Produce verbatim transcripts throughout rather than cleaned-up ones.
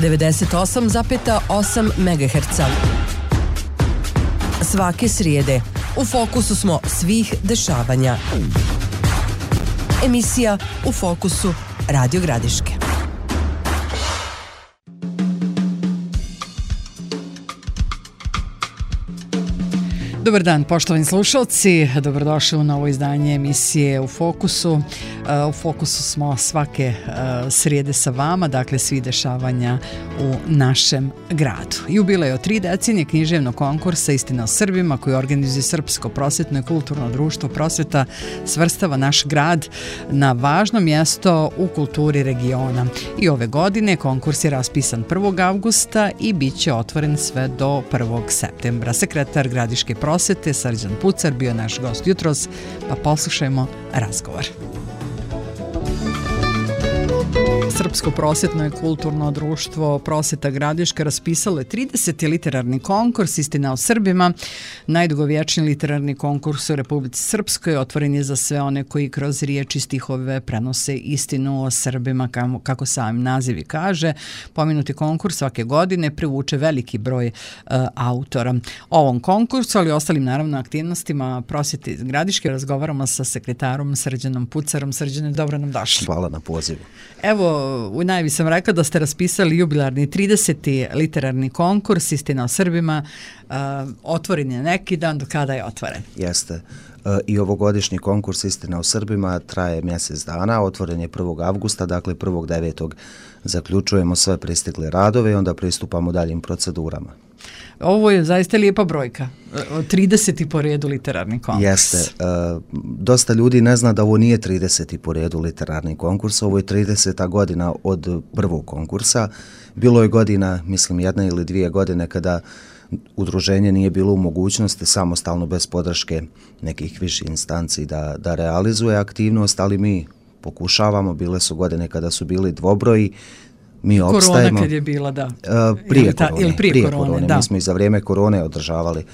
devedeset osam zarez osam megaherca. Svake srijede u fokusu smo svih dešavanja. Emisija U fokusu Radio Gradiške. Dobar dan, poštovani slušalci, dobrodošli u novo izdanje emisije U fokusu. U fokusu smo svake srijede sa vama, dakle svi dešavanja u našem gradu. Jubilej od tri decenije književnog konkursa Istina o Srbima koji organizuje Srpsko prosvetno i kulturno društvo Prosveta svrstava naš grad na važno mjesto u kulturi regiona. I ove godine konkurs je raspisan prvog avgusta i bit će otvoren sve do prvog septembra. Sekretar Gradiške prosvete Srđan Pucar bio naš gost jutros, pa poslušajmo razgovor. Srpsko prosvetno i kulturno društvo Prosveta Gradiška raspisalo je trideseti literarni konkurs Istina o Srbima. Najdugovječniji literarni konkurs u Republici Srpskoj otvoren je za sve one koji kroz riječi i stihove prenose istinu o Srbima, kako sam naziv i kaže. Pomenuti konkurs svake godine privuče veliki broj uh, autora. O ovom konkursu, ali i ostalim naravno aktivnostima Prosvete Gradiške razgovaramo sa sekretarom Srđanom Pucarom. Srđane, dobro nam došli. Hvala na pozivu. Evo, u najavi sam rekla da ste raspisali jubilarni trideseti literarni konkurs Istina o Srbima. Uh, otvoren je neki dan, do kada je otvoren? Jeste. Uh, I ovogodišnji konkurs Istina o Srbima traje mjesec dana, otvoren je prvog avgusta, dakle prvog devetog zaključujemo sve pristigle radove i onda pristupamo daljim procedurama. Ovo je zaista lijepa brojka, trideseti po redu literarni konkurs. Jeste. E, dosta ljudi ne zna da ovo nije trideseti po redu literarni konkurs, ovo je trideseta godina od prvog konkursa. Bilo je godina, mislim jedna ili dvije godine kada udruženje nije bilo u mogućnosti samostalno bez podrške nekih viših instanci da, da realizuje aktivnost, ali mi pokušavamo, bile su godine kada su bili dvobroji, mi korona opstajemo. Korona kad je bila, da. Uh, prije ili ta, korone, ili prije, prije korone, korone. Da. Mi smo i za vrijeme korone održavali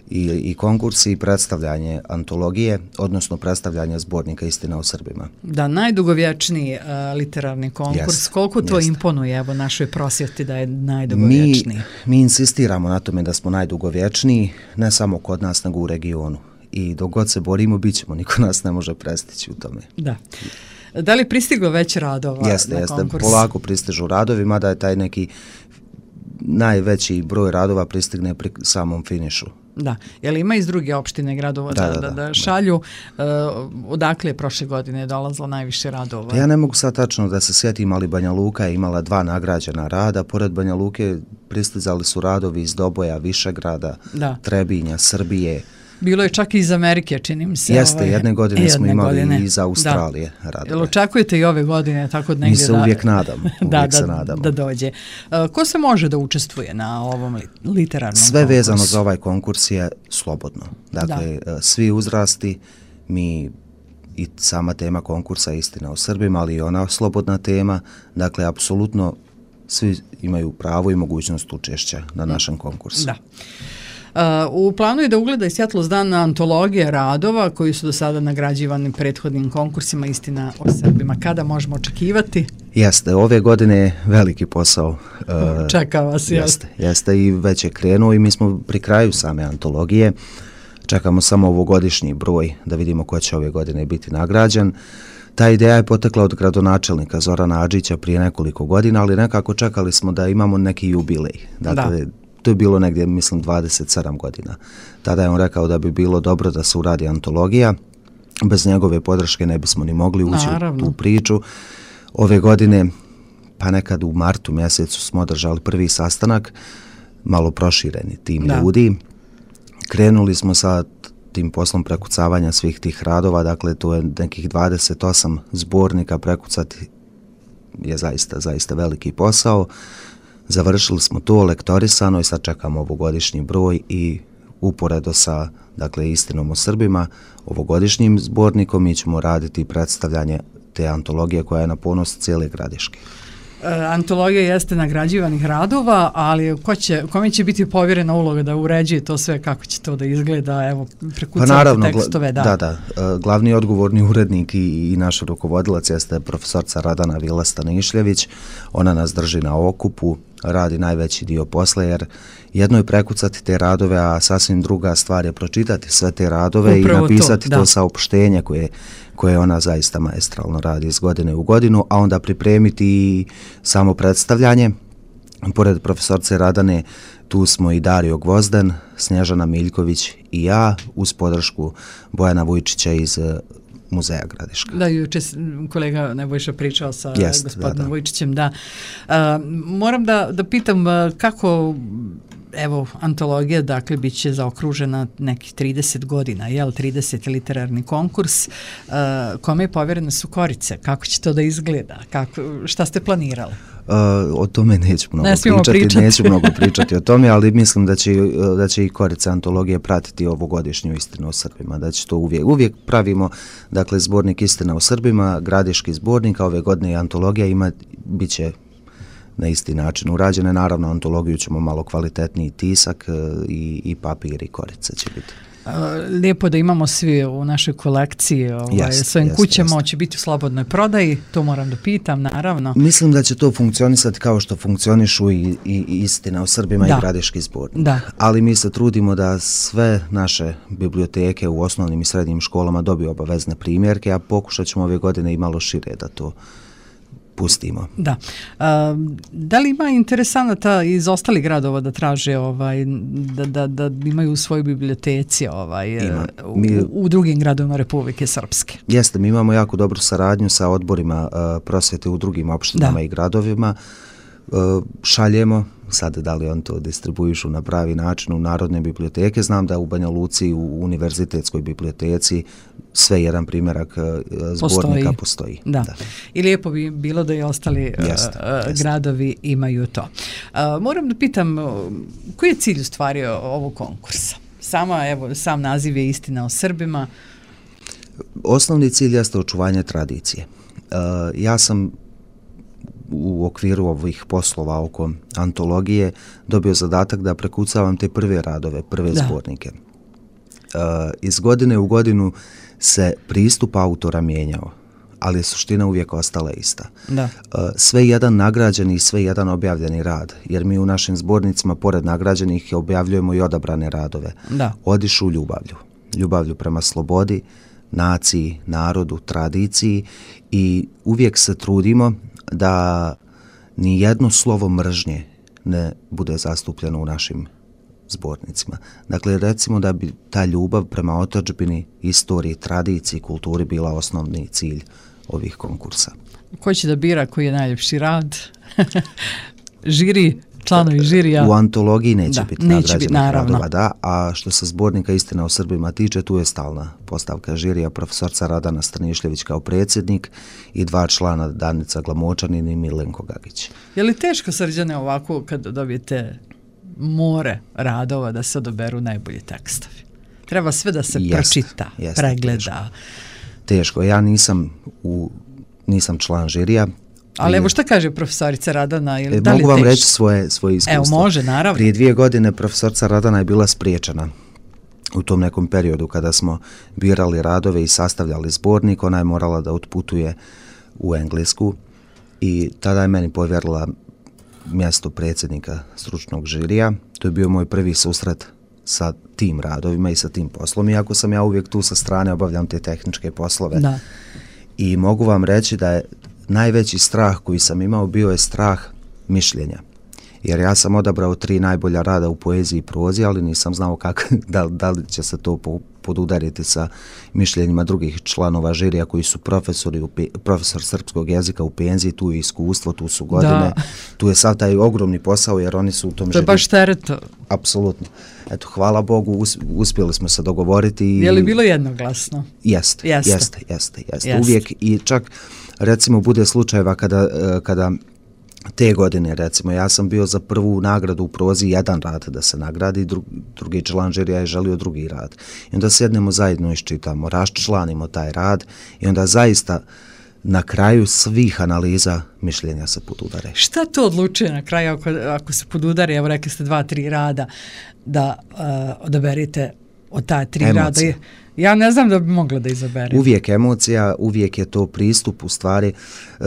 i, i konkursi i predstavljanje antologije, odnosno predstavljanje zbornika Istina o Srbima. Da, najdugovječniji uh, literarni konkurs. Yes, koliko to yes. imponuje evo našoj prosvjeti da je najdugovječniji? Mi, mi insistiramo na tome da smo najdugovječniji, ne samo kod nas, nego u regionu. I dok god se borimo, bit ćemo, niko nas ne može prestići u tome. Da. Da li pristiglo već radova jeste, na jeste. konkurs? Polako pristižu radovi, mada je taj neki najveći broj radova pristigne pri samom finišu. Da, je li ima iz druge opštine gradova da, da, da, da, da šalju? Uh, odakle je prošle godine dolazilo najviše radova? Ja ne mogu sad tačno da se sjetim, ali Banja Luka je imala dva nagrađena rada. Pored Banja Luke pristizali su radovi iz Doboja, Višegrada, da. Trebinja, Srbije. Bilo je čak i iz Amerike, čini mi se. Jeste, ovaj, jedne godine jedne smo imali godine. I iz Australije da. radove. Jel očekujete i ove godine tako negdje? Mi se da, uvijek nadamo. Uvijek da, se da, nadamo. Da dođe. Uh, ko se može da učestvuje na ovom literarnom Sve konkursu? vezano za ovaj konkurs je slobodno. Dakle, da. svi uzrasti, mi i sama tema konkursa Istina o Srbima, ali i ona slobodna tema. Dakle, apsolutno svi imaju pravo i mogućnost učešća na našem konkursu. Da. Uh, u planu je da ugleda i svjetlost dana antologije radova koji su do sada nagrađivani prethodnim konkursima Istina o Srbima. Kada možemo očekivati? Jeste, ove godine je veliki posao. Uh, Čeka vas, jeste. Jeste i već je krenuo i mi smo pri kraju same antologije. Čekamo samo ovogodišnji broj da vidimo ko će ove godine biti nagrađen. Ta ideja je potekla od gradonačelnika Zorana Adžića prije nekoliko godina, ali nekako čekali smo da imamo neki jubilej. Dakle, da. To je bilo negdje, mislim, dvadeset sedam godina. Tada je on rekao da bi bilo dobro da se uradi antologija. Bez njegove podrške ne bismo ni mogli ući Naravno. u tu priču. Ove godine, pa nekad u martu mjesecu smo održali prvi sastanak, malo prošireni tim da. ljudi. Krenuli smo sa tim poslom prekucavanja svih tih radova, dakle to je nekih dvadeset osam zbornika, prekucati je zaista, zaista veliki posao. Završili smo to, lektorisano i sad čekamo ovogodišnji broj i uporedo sa, dakle, Istinom o Srbima, ovogodišnjim zbornikom mi ćemo raditi predstavljanje te antologije koja je na ponos cijele Gradiške. E, antologija jeste nagrađivanih radova, ali ko će, kome će biti povjerena uloga da uređuje to sve, kako će to da izgleda, evo, prekucavate pa naravno, tekstove, da. Da, da, glavni odgovorni urednik i, i naš rukovodilac jeste profesorca Radana Vila Stanišljević, ona nas drži na okupu, radi najveći dio posla, jer jedno je prekucati te radove, a sasvim druga stvar je pročitati sve te radove Upravo i napisati to, to saopštenje koje, koje ona zaista maestralno radi iz godine u godinu, a onda pripremiti samo predstavljanje. Pored profesorce Radane, tu smo i Dario Gvozden, Snježana Miljković i ja, uz podršku Bojana Vujčića iz Muzeja Gradiška. Da, juče kolega Nebojša pričao sa Jest, gospodinom da, da. Vujčićem, da. Uh, moram da, da pitam kako, evo, antologija, dakle, bit će zaokružena nekih trideset godina, jel, trideset literarni konkurs, uh, kome je povjerene su korice, kako će to da izgleda, kako, šta ste planirali? Uh, o tome neću mnogo ne pričati, pričati. neću mnogo pričati o tome, ali mislim da će, da će i korice antologije pratiti ovogodišnju Istinu o Srbima, da će to uvijek, uvijek pravimo, dakle, zbornik Istina o Srbima, Gradiški zbornik, a ove godine i antologija ima, bit će na isti način urađene, naravno antologiju ćemo malo kvalitetniji tisak i, i papir i korice će biti. Lijepo da imamo svi u našoj kolekciji ovaj, jest, svojim jest, kućama, jest. će biti u slobodnoj prodaji, to moram da pitam, naravno. Mislim da će to funkcionisati kao što funkcionišu i, i Istina o Srbima da. i Gradiški zbornik. Da. Ali mi se trudimo da sve naše biblioteke u osnovnim i srednjim školama dobiju obavezne primjerke, a pokušat ćemo ove godine i malo šire da to pustimo. Da. A, da li ima interesanata iz ostalih gradova da traže ovaj, da, da, da imaju u svojoj biblioteci ovaj, Ima. Mi, u, u drugim gradovima Republike Srpske? Jeste, mi imamo jako dobru saradnju sa odborima uh, prosvjete u drugim opštinama da. i gradovima. Uh, šaljemo, sad da li on to distribuišu na pravi način u narodne biblioteke, znam da u Banja Luci u univerzitetskoj biblioteci sve jedan primjerak zbornika postoji. postoji. Da. Da. I lijepo bi bilo da i ostali jest, uh, jest. gradovi imaju to. Uh, moram da pitam, koji je cilj u stvari ovog konkursa? Sama, evo, sam naziv je Istina o Srbima. Osnovni cilj jeste očuvanje tradicije. Uh, ja sam u okviru ovih poslova oko antologije dobio zadatak da prekucavam te prve radove, prve da. zbornike. Uh, iz godine u godinu se pristup autora mijenjao, ali je suština uvijek ostala ista. Da. Uh, sve jedan nagrađeni i sve jedan objavljeni rad, jer mi u našim zbornicima pored nagrađenih objavljujemo i odabrane radove. Da. Odišu ljubavlju. Ljubavlju prema slobodi, naciji, narodu, tradiciji i uvijek se trudimo da ni jedno slovo mržnje ne bude zastupljeno u našim zbornicima. Dakle, recimo da bi ta ljubav prema otadžbini, istoriji, tradiciji, kulturi bila osnovni cilj ovih konkursa. Ko će da bira koji je najljepši rad? Žiri, članovi žirija? U antologiji neće da, biti neće biti, radova, da, a što se zbornika Istina o Srbima tiče, tu je stalna postavka žirija, profesorca Radana Strnišljević kao predsjednik i dva člana, Danica Glamočanin i Milenko Gagić. Je li teško, Srđane, ovako kad dobijete more radova da se odaberu najbolji tekstovi? Treba sve da se jest, pročita, jest, pregleda. Teško. teško. Ja nisam, u, nisam član žirija. Ali evo šta kaže profesorica Radana? Ili, e, da li mogu vam teško? reći svoje, svoje iskustvo. Evo, može, naravno. Prije dvije godine profesorca Radana je bila spriječena u tom nekom periodu kada smo birali radove i sastavljali zbornik. Ona je morala da otputuje u Englesku i tada je meni povjerila mjesto predsjednika stručnog žirija. To je bio moj prvi susret sa tim radovima i sa tim poslom, iako sam ja uvijek tu sa strane, obavljam te tehničke poslove. Da. I mogu vam reći da je najveći strah koji sam imao bio je strah mišljenja. Jer ja sam odabrao tri najbolja rada u poeziji i prozi, ali nisam znao kako, da, da li će se to podudariti sa mišljenjima drugih članova žirija koji su profesori, profesor srpskog jezika u penziji, tu je iskustvo, tu su godine, da. Tu je sad taj ogromni posao jer oni su u tom žiriju. To je baš teret. Apsolutno. Eto, hvala Bogu, uspjeli smo se dogovoriti. I... Je li bilo jednoglasno? Jeste, jeste, jeste, jeste. jeste. Uvijek i čak recimo bude slučajeva kada, kada te godine, recimo, ja sam bio za prvu nagradu u prozi jedan rad da se nagradi, dru, drugi član žirija je želio drugi rad. I onda sjednemo zajedno iščitamo, raščlanimo taj rad i onda zaista na kraju svih analiza mišljenja se podudare. Šta to odlučuje na kraju ako, ako se podudare, evo rekli ste dva, tri rada, da uh, odaberite od ta tri rada. Ja ne znam da bi mogla da izaberem. Uvijek emocija, uvijek je to pristup u stvari.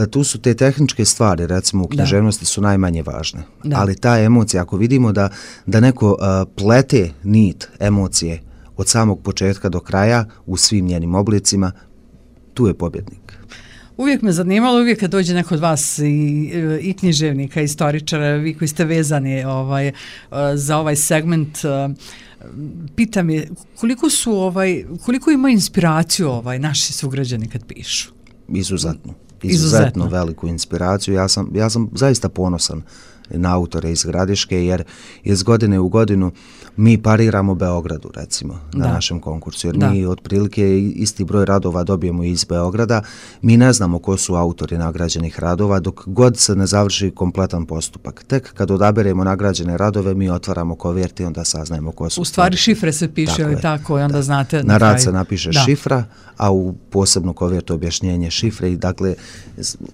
Tu su te tehničke stvari, recimo u književnosti su najmanje važne. Da. Ali ta emocija, ako vidimo da, da neko uh, plete nit emocije od samog početka do kraja u svim njenim oblicima, tu je pobjednik. Uvijek me zanimalo, uvijek kad dođe neko od vas i, i književnika, istoričara, vi koji ste vezani ovaj, za ovaj segment, pitam je koliko su ovaj, koliko ima inspiraciju ovaj naši sugrađani kad pišu? Izuzetno. Izuzetno, Izuzetno veliku inspiraciju. Ja sam, ja sam zaista ponosan na autore iz Gradiške, jer iz godine u godinu mi pariramo Beogradu, recimo, na da. našem konkursu, jer da. mi otprilike isti broj radova dobijemo iz Beograda. Mi ne znamo ko su autori nagrađenih radova dok god se ne završi kompletan postupak. Tek kad odaberemo nagrađene radove, mi otvaramo kovert i onda saznajemo ko su. U stvari šifre se piše, tako, ili tako, i onda da. znate na, na rad kraju. se napiše da. šifra, a u posebnu kovertu objašnjenje šifre. I dakle,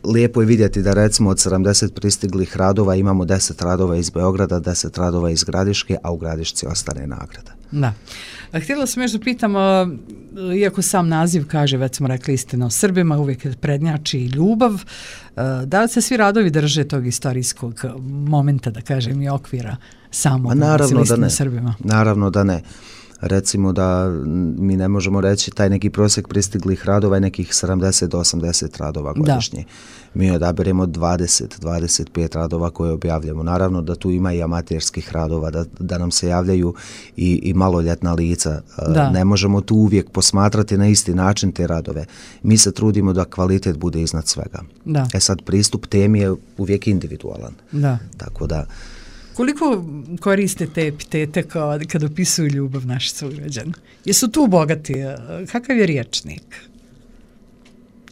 lijepo je vidjeti da recimo od sedamdeset pristiglih radova imamo deset radova iz Beograda, deset radova iz Gradiške, a u Gradišci ostane nagrada. Da. Htjela sam još da pitam, iako sam naziv kaže, već smo rekli istina o Srbima, uvijek prednjači i ljubav, da li se svi radovi drže tog istorijskog momenta, da kažem, i okvira samog istina o Srbima? Naravno da ne. Recimo da mi ne možemo reći taj neki prosjek pristiglih radova je nekih sedamdeset do osamdeset radova godišnje. Da. Mi odaberemo dvadeset do dvadeset pet radova koje objavljamo. Naravno da tu ima i amaterskih radova, da, da nam se javljaju i, i maloljetna lica. Da. Ne možemo tu uvijek posmatrati na isti način te radove. Mi se trudimo da kvalitet bude iznad svega. Da. E sad, pristup temi je uvijek individualan. Da. Tako da... Koliko koriste te epitete kao kad opisuju ljubav naši sugrađani? Jesu tu bogati? Kakav je riječnik?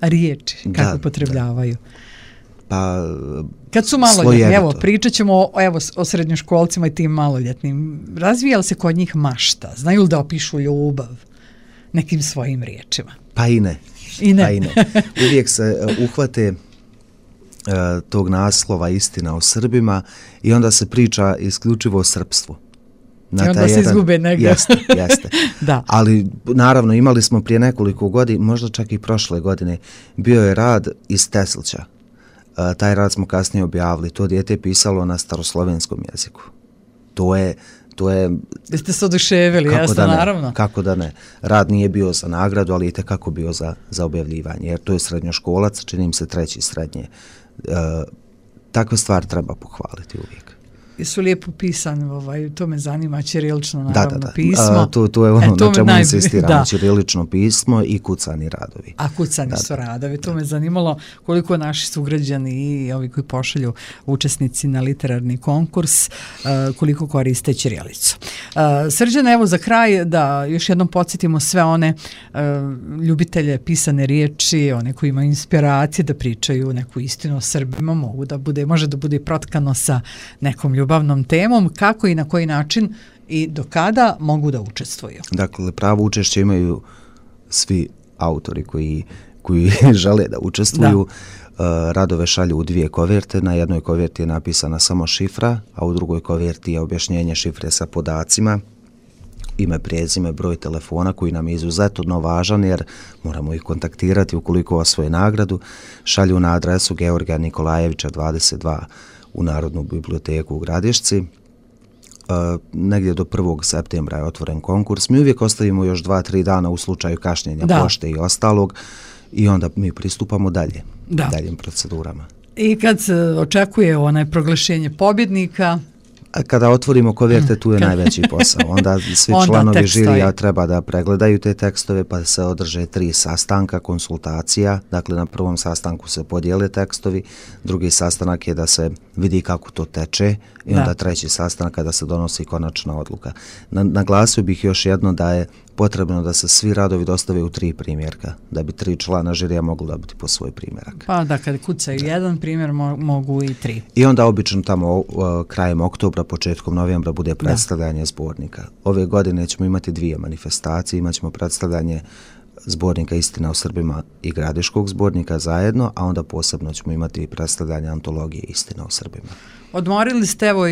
Riječi, kako da, upotrebljavaju? Pa, kad su maloljetni, evo, pričat ćemo o, evo, o srednjoškolcima i tim maloljetnim. Razvija li se kod njih mašta? Znaju li da opišu ljubav nekim svojim riječima? Pa i ne. I ne. Pa i ne. Uvijek se uh, uhvate tog naslova Istina o Srbima i onda se priča isključivo o srpstvu. Na I onda se jedan, izgube negdje. Jeste, jeste. Da. Ali naravno imali smo prije nekoliko godina, možda čak i prošle godine, bio je rad iz Teslća. Uh, taj rad smo kasnije objavili. To dijete je pisalo na staroslovenskom jeziku. To je To je... Jeste se oduševili, jasno, da ne, naravno. Kako da ne. Rad nije bio za nagradu, ali je tekako bio za, za objavljivanje, jer to je srednjoškolac, čini im se treći srednje. E, takve stvari treba pohvaliti uvijek. Jesu lijepo pisani, ovaj, to me zanima, ćirilično naravno da, da, da. pismo. A, to, to je ono e, to na čemu najbolj... insistiramo, ćirilično pismo i kucani radovi. A kucani da, su radovi, to da. me zanimalo koliko naši sugrađani i ovi koji pošalju učesnici na literarni konkurs, uh, koliko koriste ćirilicu. Uh, Srđane, evo za kraj da još jednom podsjetimo sve one uh, ljubitelje pisane riječi, one koji imaju inspiracije da pričaju neku istinu o Srbima, mogu da bude, može da bude protkano sa nekom ljubavnom temom, kako i na koji način i do kada mogu da učestvuju. Dakle, pravo učešće imaju svi autori koji, koji žele da učestvuju. Da. Radove šalju u dvije koverte. Na jednoj koverti je napisana samo šifra, a u drugoj koverti je objašnjenje šifre sa podacima, ime, prezime, broj telefona koji nam je izuzetno važan jer moramo ih kontaktirati ukoliko osvoje nagradu. Šalju na adresu Georgija Nikolajevića dvadeset dva u Narodnu biblioteku u Gradišci. E, negdje do prvog septembra je otvoren konkurs. Mi uvijek ostavimo još dva, tri dana u slučaju kašnjenja da. pošte i ostalog i onda mi pristupamo dalje, da. daljim procedurama. I kad se očekuje onaj proglašenje pobjednika... Kada otvorimo koverte, tu je Kad... najveći posao. Onda svi Onda članovi žirija treba da pregledaju te tekstove, pa se održe tri sastanka, konsultacija. Dakle, na prvom sastanku se podijele tekstovi, drugi sastanak je da se vidi kako to teče i da. onda treći sastanak kada se donosi konačna odluka. Na, naglasio bih još jedno da je potrebno da se svi radovi dostave u tri primjerka, da bi tri člana žirija mogli dobiti po svoj primjerak. Pa da, kad kucaju da. jedan primjer, mo- mogu i tri. I onda obično tamo uh, krajem oktobra, početkom novembra bude predstavljanje da. zbornika. Ove godine ćemo imati dvije manifestacije, imat ćemo predstavljanje uh, zbornika Istina o Srbima i Gradiškog zbornika zajedno, a onda posebno ćemo imati i predstavljanje antologije Istina o Srbima. Odmorili ste, evo,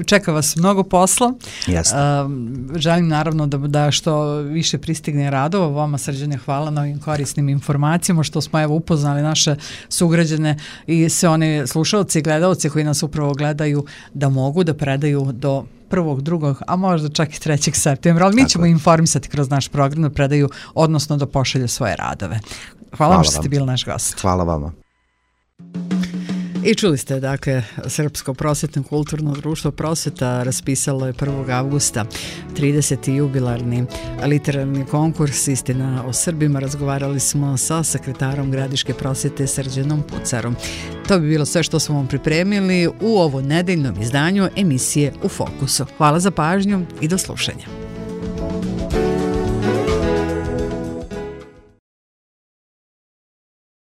čeka vas mnogo posla. Jasno. Uh, želim naravno da, da što više pristigne radova. Vama, Srđane, hvala na ovim korisnim informacijama, što smo evo upoznali naše sugrađane i sve one slušalci i gledalci koji nas upravo gledaju da mogu da predaju do prvog, drugog, a možda čak i trećeg septembra, ali mi Tako ćemo je. informisati kroz naš program da predaju, odnosno da pošalju svoje radove. Hvala, Hvala vam što ste bili naš gost. Hvala vama. I čuli ste, dakle, Srpsko prosvetno kulturno društvo Prosveta raspisalo je prvog avgusta trideseti jubilarni literarni konkurs Istina o Srbima. Razgovarali smo sa sekretarom Gradiške prosvete Srđanom Pucarom. To bi bilo sve što smo vam pripremili u ovo nedeljnom izdanju emisije U fokusu. Hvala za pažnju i do slušanja.